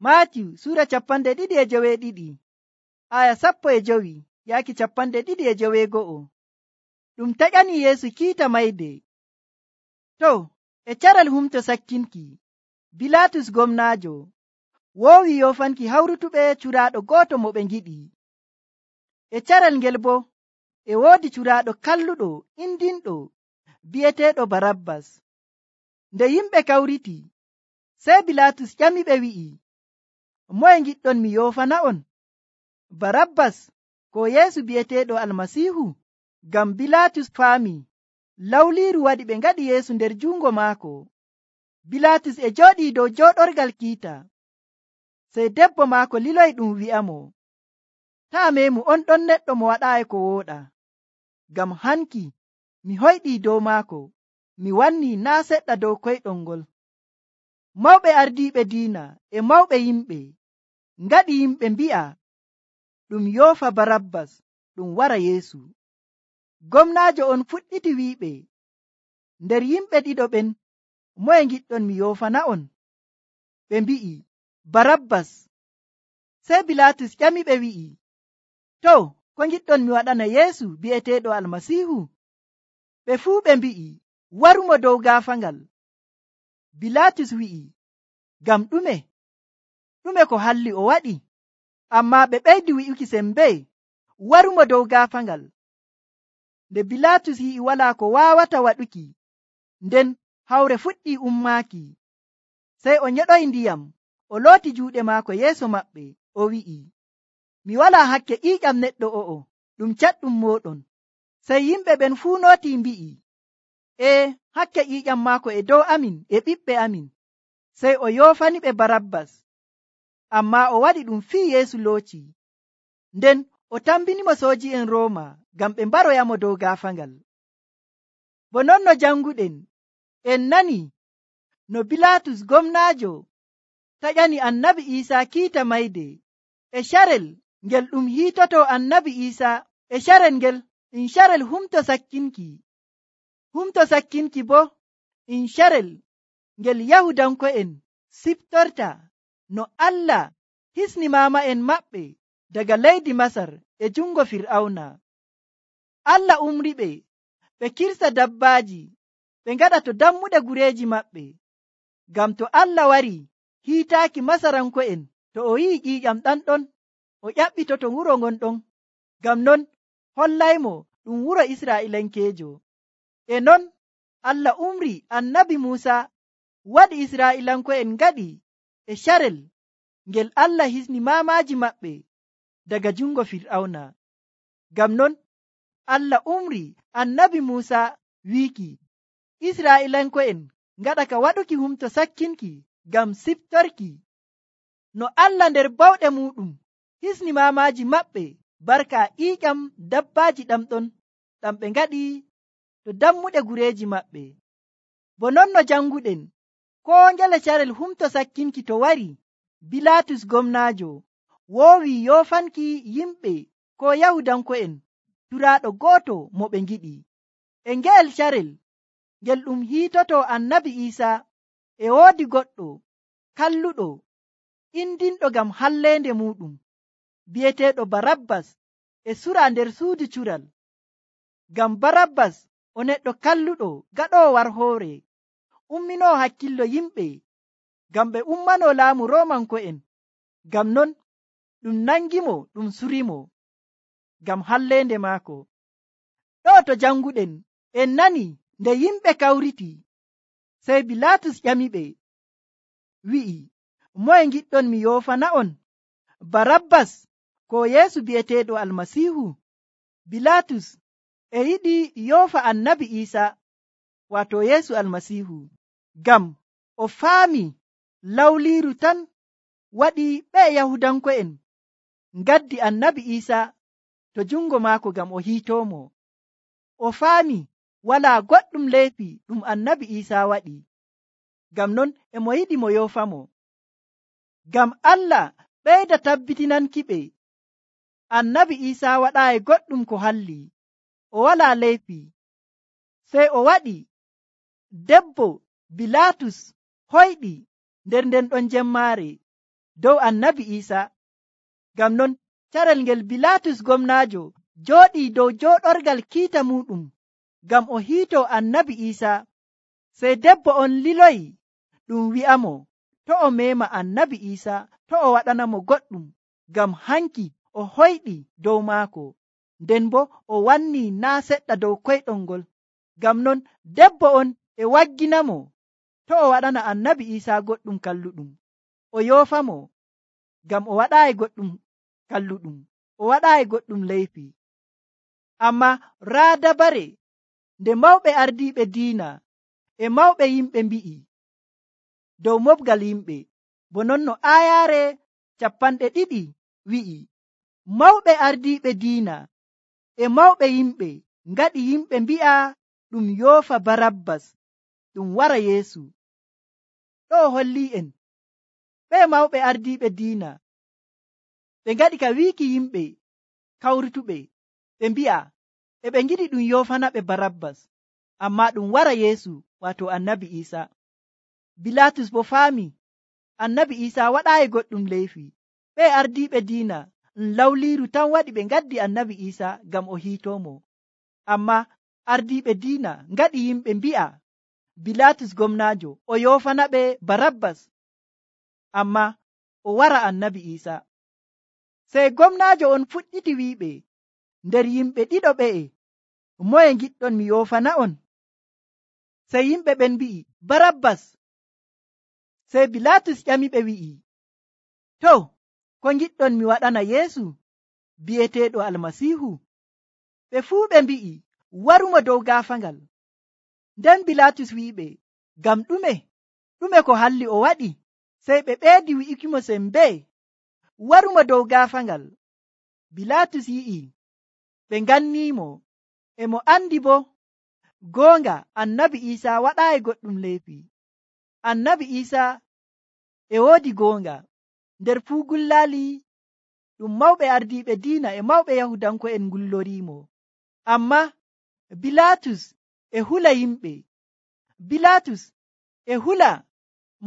Maatiyu sura 22 aya 15 yaaki 22. Ɗum taƴani Yeesu kiita mayde. To e caral humto sakkinki, Bilatus gomnaajo woowi yofanki hawrutuɓe curaaɗo gooto mo ɓe ngiɗi. E caral ngel bo e woodi curaaɗo kalluɗo indinɗo bi'eteeɗo Barabbas. Nde yimɓe kawriti, sey Bilatus ƴamiɓe wi'i, moye ngiɗɗon mi yofana'on, Barabbas ko Yeesu bi'eteeɗo Almasiihu? Ngam Bilatus faami lawliiru waɗi ɓe ngaɗi Yeesu nder jungo maako. Bilatus e jooɗii dow jooɗorgal kiita. Sey debbo maako liloyi ɗum wi'amo, taa memu on ɗon neɗɗo mo waɗaayi ko wooɗa. Ngam hanki mi hoyɗii dow maako, mi wannii naa seɗɗa dow koyɗol ngol. Mawɓe ardiiɓe diina e mawɓe yimɓe ngaɗi yimɓe mbi'a ɗum yoofa Barabbas ɗum wara Yeesu. Gomnaajo on fuɗɗiti wi'iɓe nder yimɓe ɗiɗo ɓen, moye ngiɗɗon mi yoofana'on? Ɓe mbi'i, Barabbas. Sey Bilatus ƴamiɓe wi'i, to ko ngiɗɗon mi waɗana Yeesu bi'eteeɗo Almasiihu? Ɓe fuu ɓe mbi'i, warumo dow gaafaangal. Bilatus wi'i, ngam ɗume ko halli o waɗi? Ammaa ɓe ɓeydi wi'uki sembe, warumo dow gaafaangal. Nde Bilatus yi'i walaa ko waawata waɗuki, nden hawre fuɗɗii ummaaki. Sey o nyeɗoyi ndiyam, o looti juuɗe maako yeeso maɓɓe, o wi'i, mi walaa hakke ƴiiƴam neɗɗo o'o ɗum caɗɗum mooɗon. Sey yimɓe ɓen fuu nootii mbi'i, hakke ƴiiƴam maako e dow amin e ɓiɓɓe amin. Sey o yoofaniɓe Barabbas, ammaa o waɗi ɗum fii Yeesu looci. Nden o tambinimo sooji'en Rooma ngam ɓe mbaroyamo dow gaafaangal. Bo non no janguɗen, en nani no Bilatus gomnaajo taƴani Annabi Iisaa kiita mayde e carel ngel ɗum hiitoto Annabi Iisaa e carel ngel carel humto sakkinki. Humto sakkinki bo carel ngel Yahudanko'en siftorta no Allah hisni maama'en maɓɓe daga leydi Masar e jungo Fir'awna. Allah umriɓe ɓe kirsa dabbaaji ɓe ngaɗa to dammuɗe gureeji maɓɓe. Ngam to Allah wari hiitaaki Masaranko'en, to o yi'i ƴiiƴam ɗanɗon, o ƴaɓɓitoto wuro ngon ɗon. Ngam non hollaymo ɗum wuro Israa'ilankeejo. E non Allah umri Annabi Muusa waɗi Israa'ilanko'en ngaɗi e carel ngel Allah hisni maamaaji maɓɓe daga jungo Fir'awna. Ngam non Allah umri Annabi Muusa wiiki Israa'ilanko'en ngaɗa ka waɗuki humto sakkinki ngam siftorki no Allah nder bawɗe muɗum hisni maamaaji maɓɓe barka ƴiiƴam dabbaaji ɗamɗon ɗam ɓe ngaɗi to dammuɗe gureeji maɓɓe. Bo non no janguɗen, koo ngele carel humto sakkinki to wari, Bilatus gomnaajo woowi yoofanki yimɓe ko Yahudanko'en curaaɗo gooto mo ɓe ngiɗi. E ngeel carel ngel ɗum hiitoto Annabi Iisaa e woodi goɗɗo kalluɗo indinɗo ngam halleende muɗum bi'eteeɗo Barabbas e sura nder suudu cural. Ngam Barabbas o neɗɗo kalluɗo gaɗoowo warhoore, umminoo hakkillo yimɓe ngam ɓe ummanoo laamu Roomanko'en. Ngam non ɗum nangimo ɗum surimo ngam halleende maako. Ɗo to janguɗen en nani nde yimɓe kawriti, sey Bilatus ƴamiɓe wi'i, moye ngiɗɗon mi yoofana'on, Barabbas ko Yeesu bi'eteeɗo Almasiihu? Bilatus e yiɗi yoofa Annabi Iisaa, waato Yeesu Almasiihu, ngam o faami lawliiru tan waɗi ɓe Yahudanko'en ngaddi Annabi Iisaa to jungo maako ngam o hiitoomo. O faami walaa goɗɗum leyfi ɗum Annabi Iisaa waɗi. Ngam non e mo yiɗi mo yoofamo. Ngam Allah ɓeyda tabbitinankiɓe Annabi Iisaa waɗaayi goɗɗum ko halli, o walaa leyfi. Sey o waɗi debbo Bilatus hoyɗi nder nden ɗon jemmaare. dow annabi Iisa. Ngam non carel ngel Bilaatus gomnaajo jooɗii dow jooɗorgal kiita muɗum ngam o hiito annabi Iisa. Sey debbo on liloyi ɗum wi'amo to o meema annabi Iisa to o waɗanamo goɗɗum, ngam hanki o hoyɗi dow maako, nden bo o wanni naa seɗɗa dow koyɗol ngol. Ngam non debbo on e wagginamo to o waɗana annabi Iisa goɗɗum kalluɗum, o yoofamo, ngam o waɗaayi goɗɗum kalluɗum, o waɗaayi goɗɗum leyfi. Amma raa dabare nde mawɓe ardiiɓe diina e mawɓe yimɓe mbi'i dow mobgal yimɓe, bo non no aayaare 200 wi'i, mawɓe ardiiɓe diina e mawɓe yimɓe ngaɗi yimɓe mbi'a ɗum yoofa Barabbas ɗum wara Yeesu. Ɗo holli'en ɓe mawɓe ardiiɓe diina ɓe ngaɗi ka wiiki yimɓe kawrutuɓe ɓe mbi'a e ɓe ngiɗi ɗum yoofanaɓe Barabbas, amma ɗum wara Yeesu, wato annabi Iisa. Bilaatus bo faami annabi Iisa waɗaayi goɗɗum leyfi. ɓe ardiiɓe diina lawliiru tan waɗi ɓe ngaddi annabi Iisa ngam o hiitoomo. Amma ardiiɓe diina ngaɗi yimɓe mbi'a Bilaatus gomnaajo o yoofanaɓe Barabbas, amma o wara annabi Iisa. Sey gomnaajo on fuɗɗiti wi'iɓe nder yimɓe ɗiɗo ɓe'e, moye ngiɗɗon mi yoofana on? Sey yimɓe ɓen mbi'i Barabbas. Sey Bilaatus ƴamiɓe wi'i, to ko ngiɗɗon mi waɗana Yeesu bi'eteeɗo Almasiihu? Ɓe fuu ɓe mbi'i warumo dow gaafangal. Nden Bilaatus wi'iɓe, ngam ɗume ko halli o waɗi? Sey ɓe ɓeedi wi'ukimo sembee, warumo dow gaafangal. Bilaatus yi'i ɓe nganniimo, e mo andi bo goonga annabi Iisa waɗaayi goɗɗum leyfi. Annabi Iisa e woodi goonga nder fuu gullaali ɗum mawɓe ardiiɓe diina e mawɓe Yahudanko'en ngulloriimo. Amma Bilaatus e hula yimɓe. Bilaatus e hula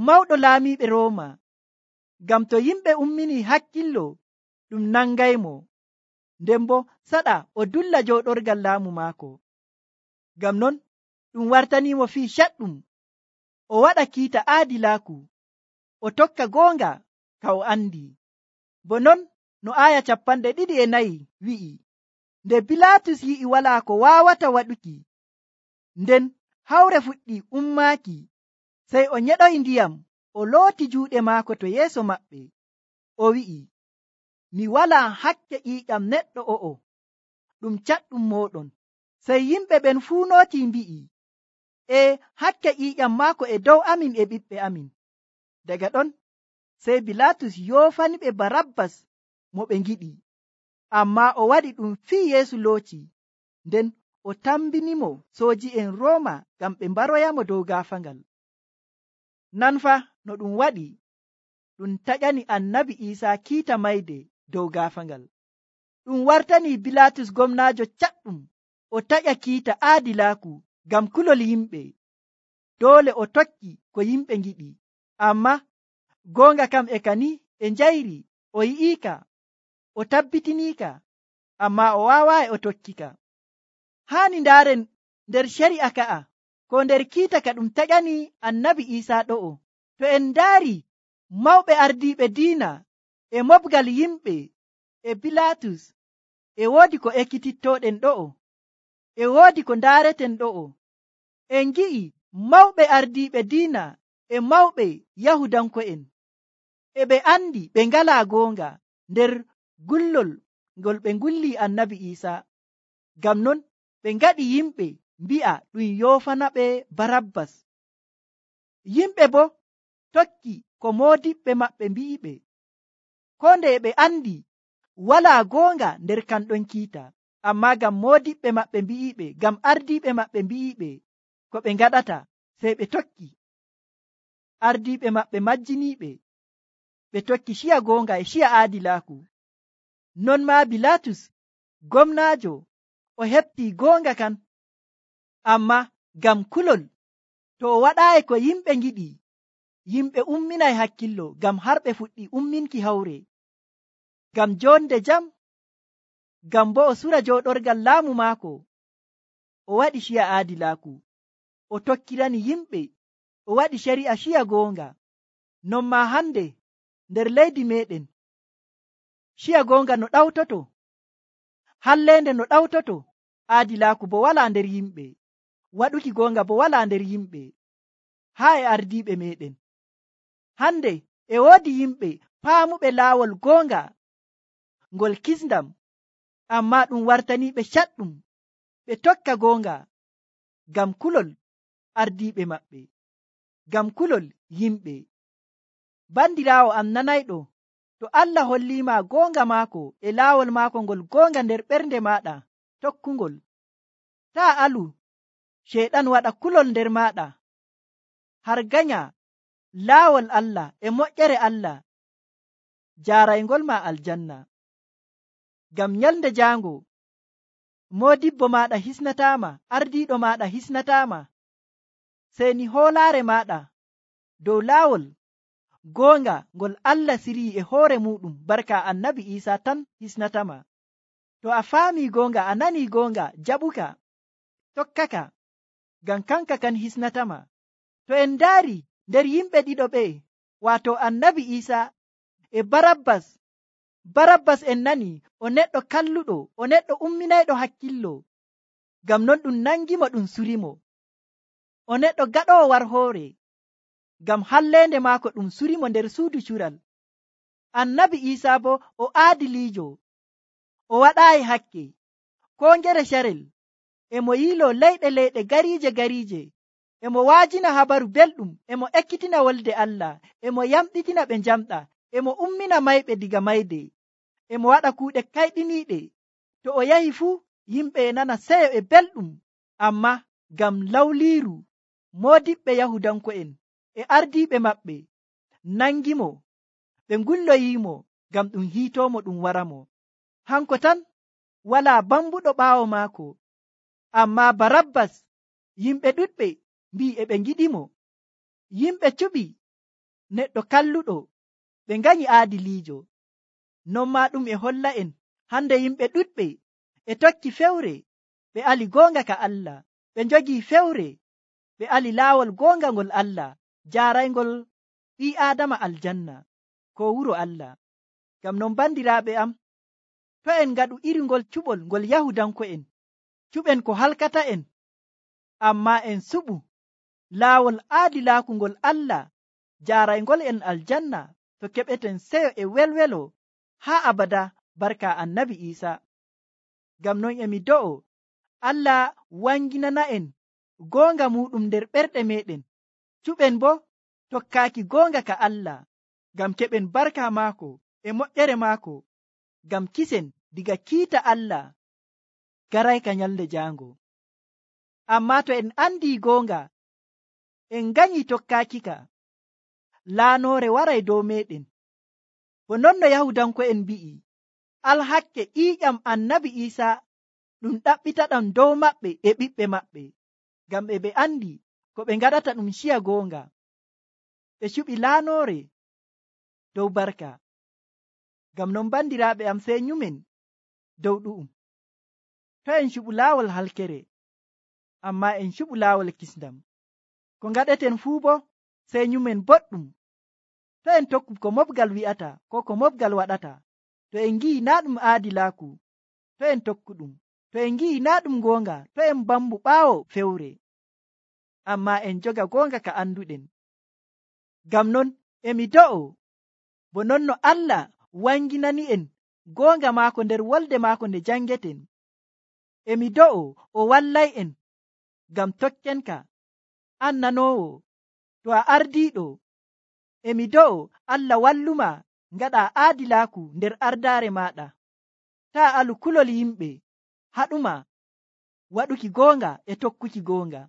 mawɗo laamiiɓe Rooma, ngam to yimɓe ummini hakkillo ɗum nangaymo, nden bo saɗa o dulla jooɗorgal laamu maako. Ngam non ɗum wartaniimo fii caɗɗum o waɗa kiita aadilaaku, o tokka goonga ka o andi. Bo non no aaya 24 wi'i, nde Bilaatus yi'i walaa ko waawata waɗuki, nden hawre fuɗɗi ummaaki, sey o nyeɗoyi ndiyam o looti juuɗe maako to yeeso maɓɓe, o wi'i, mi walaa hakke ƴiiƴam neɗɗo o'o, ɗum caɗɗum mooɗon. Sey yimɓe ɓen fuu nooti mbi'i, e hakke ƴiiƴam maako e dow amin e ɓiɓɓe amin. Daga ɗon sey Bilaatus yoofaniɓe Barabbas mo ɓe ngiɗi, amma o waɗi ɗum fii Yeesu looci, nden o tambinimo sooji'en Rooma ngam ɓe mbaroyamo dow gaafangal. Nan fa no ɗum waɗi ɗum taƴani annabi Iisa kiita mayde dow gaafangal. Ɗum wartani Bilaatus gomnaajo caɗɗum o taƴa kiita aadilaaku ngam kulol yimɓe. Doole o tokki ko yimɓe ngiɗi, amma goonga kam e kani e njayri o yi'ika, o tabbitinika, amma o waawaayi o tokkika. Haani ndaaren nder ceri'a ka'a ko nder kiita ka ɗum taƴani annabi Iisa ɗo'o, to en ndaari mawɓe ardiiɓe diina e mobgal yimɓe e Bilaatus, e woodi ko ekkitittooɗen ɗo'o, e woodi ko ndaareten ɗo'o. En gi'i mawɓe ardiiɓe diina e mawɓe Yahudanko'en e ɓe andi ɓe ngalaa goonga nder gullol ngol ɓe ngulli annabi Iisa. Ngam non ɓe ngaɗi yimɓe mbi'a ɗum yoofanaɓe Barabbas. Yimɓe bo tokki ko moodiɓɓe maɓɓe mbi'iɓe, ko nde ɓe andi walaa goonga nder kanɗon kiita, amma ngam moodiɓɓe maɓɓe mbi'iɓe, ngam ardiiɓe maɓɓe mbi'iɓe ko ɓe ngaɗata, sey ɓe tokki. Ardiiɓe maɓɓe majjiniiɓe, ɓe tokki ciya goonga e ciya aadilaaku. Non maa Bilaatus gomnaajo o heɓtii goonga kan, amma ngam kulol to o waɗaayi ko yimɓe ngiɗi, yimɓe umminay hakkillo ngam har ɓe fuɗɗi umminki hawre, ngam jonde jam, ngam bo o sura joɗorgal laamu maako. O waɗi ciya aadilaaku, o tokkirani yimɓe, o waɗi shari'a ciya goonga. Non ma hande nder leydi meɗen, ciya goonga no ɗawtoto, hallende no ɗawtoto, aadilaaku bo wala nder yimɓe, waɗuki goonga bo wala nder yimɓe, haa e ardiiɓe meɗen. Hande e woodi yimɓe paamuɓe laawol goonga ngol kisndam, amma ɗum wartaniiɓe caɗɗum ɓe tokka goonga ngam kulol ardiiɓe maɓɓe, ngam kulol yimɓe. Bandiraawo am nanayɗo, to Allah holliima goonga maako e laawol maako ngol goonga nder ɓernde maaɗa, tokkungol. Taa alu ceyɗan waɗa kulol nder maaɗa, har ganya laawol Allah e moƴƴere Allah jaaraygol ma aljanna. Ngam nyalde jaango moodibbo maaɗa hisnataama, ardiiɗo maaɗa hisnataama, seni hoolaare maaɗa dow laawol goonga ngol Allah sirii e hoore muɗum barka annabi Isa tan hisnatama. To a faami goonga, a nani goonga, jaɓuka, tokkaka, ngam kanka kan hisnatama. To en ndaari nder yimɓe ɗiɗo ɓe, wato annabi Isa e Barabbas en nani o neɗɗo kalluɗo, o neɗɗo umminayɗo hakkillo, ngam non ɗum nangimo ɗum surimo. O neɗɗo gaɗowo war hoore, ngam hallende maako ɗum surimo nder suudu cural. Annabi Isa bo o aadiliijo, o waɗaayi hakke ko ngere carel, e mo yiilo leyɗe gariije, e mo waajina habaru belɗum, e mo ekkitina wolde Allah, e mo yamɗitina ɓe njamɗa, e mo ummina mayɓe diga mayde, e mo waɗa kuuɗe kayɗiniiɗe. To o yahi fuu yimɓe e nana seyo e belɗum, amma ngam lawliiru moodiɓɓe Yahudanko'en e ardiiɓe maɓɓe nangimo, ɓe ngulloyiimo ngam ɗum hiitoomo ɗum waramo. Hanko tan walaa bambuɗo ɓaawo maako, amma Barabbas yimɓe ɗuɗɓe mbii e ɓe ngiɗimo. Yimɓe cuɓi neɗɗo kalluɗo, ɓe nganyi aadiliijo. Non ma ɗum e holla en hande yimɓe ɗuɗɓe e tokki fewre, ɓe ali goonga ka Allah, ɓe njogii fewre, ɓe ali laawol goonga ngol Allah jaaraygol ɓii Aadama aljanna ko wuro Allah. Ngam non bandiraaɓe am, to en ngaɗu iri ngol cuɓol ngol Yahudanko'en, cuɓen ko halkata en, amma en suɓu laawol aadilaaku ngol Allah jaaraygol en aljanna, to keɓeten seyo e welwelo haa abada barka annabi Isa. Ngam non emi do'o Allah wanginana en goonga muɗum nder ɓerɗe meɗen, cuɓen bo tokkaaki goonga ka Allah, ngam keɓen barka maako e moƴƴere maako, ngam kisen diga kiita Allah garayka nyalde jaango. Amma to en andi goonga, en ganyi tokkaakika, laanoore waray dow meɗen. Bo non no Yahudanko'en mbi'i, alhakke ƴiiƴam annabi Isa ɗum ɗaɓɓitaɗam dow maɓɓe e ɓiɓɓe maɓɓe, ngam ɓe andi ko ɓe ngaɗata ɗum ciya goonga. Ɓe cuɓi laanoore dow barka. Ngam non bandiraaɓe am, sey nyumen dow ɗu'um. To en cuɓu laawol halkere, amma en cuɓu laawol kisndam. Ko ngaɗeten fuu bo sey nyumen boɗɗum. To en tokku ko mobgal wi'ata ko ko mobgal waɗata, to en ngi'i naa ɗum aadilaaku, to en tokku ɗum. To en ngi'i naa ɗum goonga, to en bambu ɓaawo fewre, amma en joga goonga ka anduɗen. Ngam non emi do'o bo non no Allah wanginani en goonga maako nder wolde maako nde jangeten, emi do'o o wallay en ngam tokkenka. An nanoowo, to a ardiiɗo, emi do'o Allah walluma ngaɗa aadilaaku nder ardaare maaɗa. Taa alu kulol yimɓe, haɗuma waɗuki goonga e tokkuki goonga.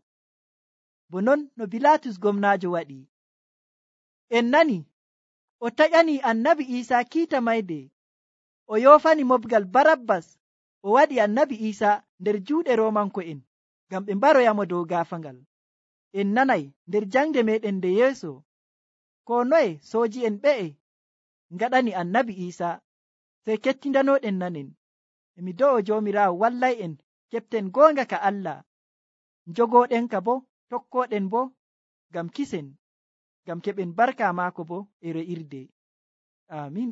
Bo non no Bilatus gomnaajo waɗi. En nani o taƴani annabi Isa kiita mayde, o yoofani mobgal Barabbas, o waɗi annabi Isa nder juuɗe Roomanko'en ngam ɓe mbaroyamo dow gaafangal. En nanay nder jangde meɗen nde yeeso, ko noye sooji'en ɓe'e ngaɗani annabi Iisaa, sey kettindanoɗen nanen. Mi do'o Joomiraawo wallay'en keɓten goonga ka Allah, njogooɗen ka bo, tokkooɗen bo ngam kisen, ngam keɓen barka maako bo e re'irde. Aamin.